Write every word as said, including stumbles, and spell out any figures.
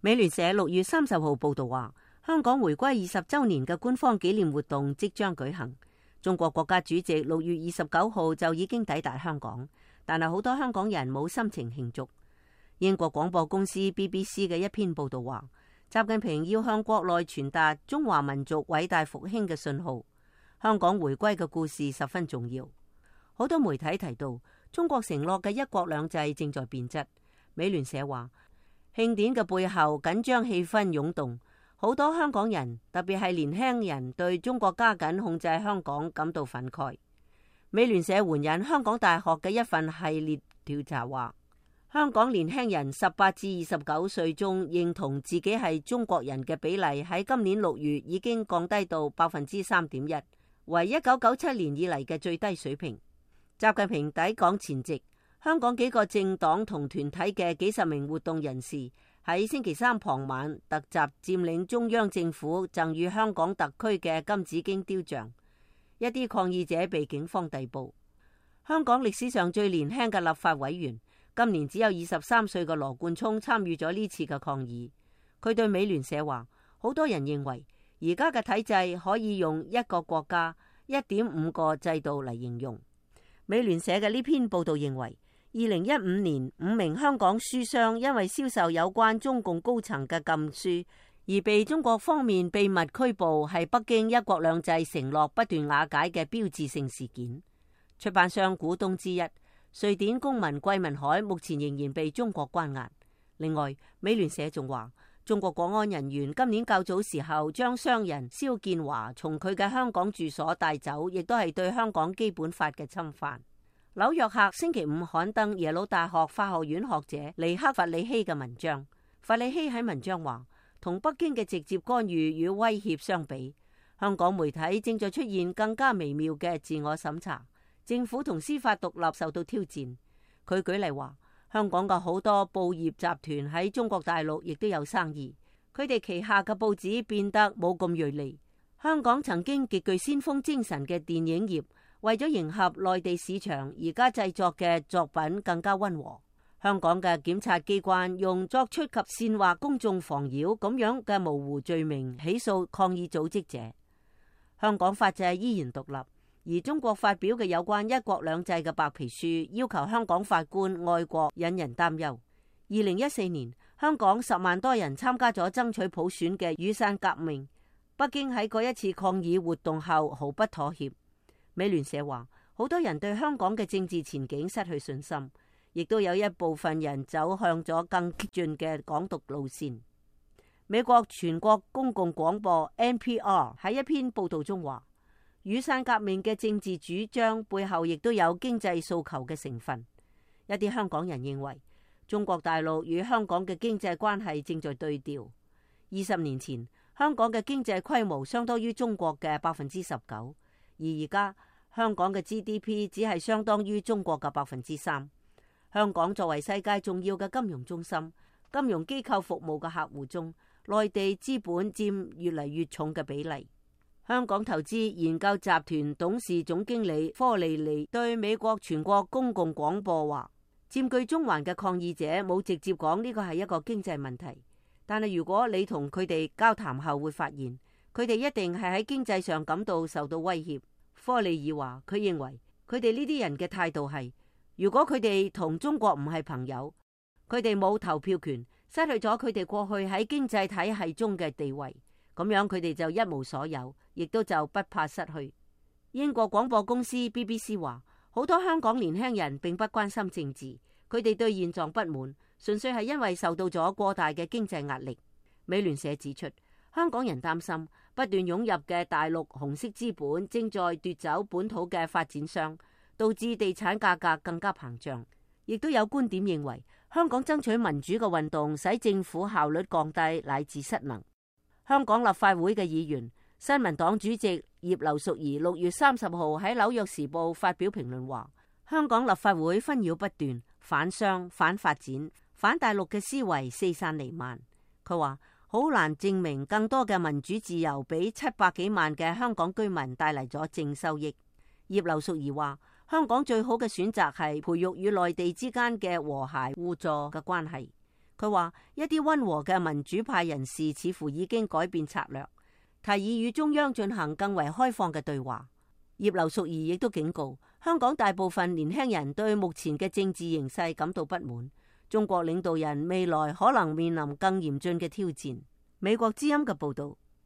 美聯社六月三十號報道話，香港回歸二十週年嘅官方紀念活動即將舉行。中國國家主席六月二十九號就已經抵達香港，但係好多香港人冇心情慶祝。英國廣播公司 B B C 嘅一篇報道話，習近平要向國內傳達中華民族偉大復興嘅信號。香港回歸嘅故事十分重要。好多媒體提到，中國承諾嘅一國兩制正在變質。美聯社話，慶典嘅背後緊張氣氛湧動，好多香港人，特別係年輕人，對中國加緊控制香港感到憤慨。美聯社援引香港大學嘅一份系列調查話，香港年輕人十八至二十九歲中認同自己係中國人嘅比例喺今年六月已經降低到百分之三點一，為一九九七年以嚟嘅最低水平。習近平抵港前夕，香港幾個政黨同團體嘅幾十名活動人士喺星期三傍晚突襲佔領中央政府贈予香港特區嘅金紫荊雕像，一啲抗議者被警方逮捕。香港歷史上最年輕嘅立法委員，今年只有二十三歲嘅羅冠聰參與咗呢次嘅抗議。佢對美聯社話，好多人認為而家嘅體制可以用一個國家、一點五個制度嚟形容。美聯社嘅呢篇報道認為，二零一五年五名香港書商因為銷售有關中共高層嘅禁書而被中國方面秘密拘捕，係北京一國兩制承諾不斷瓦解嘅標誌性事件。出版商股東之一瑞典公民桂民海目前仍然被中國關押。另外，美聯社仲話，中國國安人員今年較早時候將商人肖建華從佢嘅香港住所帶走，亦都係對香港基本法嘅侵犯。紐約客星期五刊登耶魯大學法學院學者尼克弗里希嘅文章。弗里希喺文章話，同北京嘅直接干預與威脅相比，香港媒體正在出現更加微妙嘅自我審查，政府同司法獨立受到挑戰。佢舉例話，香港嘅好多報業集團喺中國大陸亦都有生意，佢哋旗下嘅報紙變得冇咁銳利。香港曾經極具先鋒精神嘅電影業，為咗迎合內地市場，而家製作嘅作品更加溫和。香港嘅檢察機關用作出及煽惑公眾妨擾咁樣嘅模糊罪名起訴抗議組織者。香港法制依然獨立，而中國發表嘅有關一國兩制嘅白皮書，要求香港法官愛國，引人擔憂。二零一四年，香港十萬多人參加咗爭取普選嘅雨傘革命，北京喺嗰一次抗議活動後毫不妥協。美聯社話，好多人對香港嘅政治前景失去信心，亦都有一部分人走向咗更激進嘅港獨路線。美國全國公共廣播 N P R 喺一篇報道中話，雨傘革命嘅政治主張背後亦都有經濟訴求嘅成分。一啲香港人認為，中國大陸與香港嘅經濟關係正在對調。二十年前，香港嘅經濟規模相當於中國嘅百分之十九。而而家香港嘅 G D P 只係相當於中國嘅百分之三。香港作為世界重要嘅金融中心，金融機構服務嘅客戶中，內地資本佔越嚟越重嘅比例。香港投資研究集團董事總經理科利利對美國全國公共廣播話，佔據中環嘅抗議者冇直接講呢個係一個經濟問題，但係如果你同佢哋交談後會發現，佢哋一定係喺經濟上感到受到威脅。科利爾話，佢認為佢哋呢啲人嘅態度係，如果佢哋同中國唔係朋友，佢哋冇投票權，失去咗佢哋過去喺經濟體系中嘅地位，咁樣佢哋就一無所有，亦都就不怕失去。英國廣播公司 B B C 話，好多香港年輕人並不關心政治，佢哋對現狀不滿，純粹係因為受到咗過大嘅經濟壓力。美聯社指出，香港人擔心不斷湧入嘅大陸紅色資本正在奪走本土嘅發展商，導致地產價格更加膨脹。亦都有觀點認為，香港爭取民主嘅運動使政府效率降低乃至失能。香港立法會嘅議員、新民黨主席葉劉淑儀六月三十號喺紐約時報發表評論話，香港立法會紛擾不斷，反商、反發展、反大陸嘅思維四散彌漫。佢話，好難證明更多嘅民主自由俾七百幾萬嘅香港居民帶嚟咗正收益。葉劉淑儀話，香港最好嘅選擇係培育與內地之間嘅和諧互助嘅關係。佢話一啲溫和嘅民主派人士似乎已經改變策略，提議與中央進行更為開放嘅對話。葉劉淑儀亦都警告，香港大部分年輕人對目前嘅政治形勢感到不滿，中國領導人未來可能面臨更嚴峻嘅挑戰。美國之音嘅報道。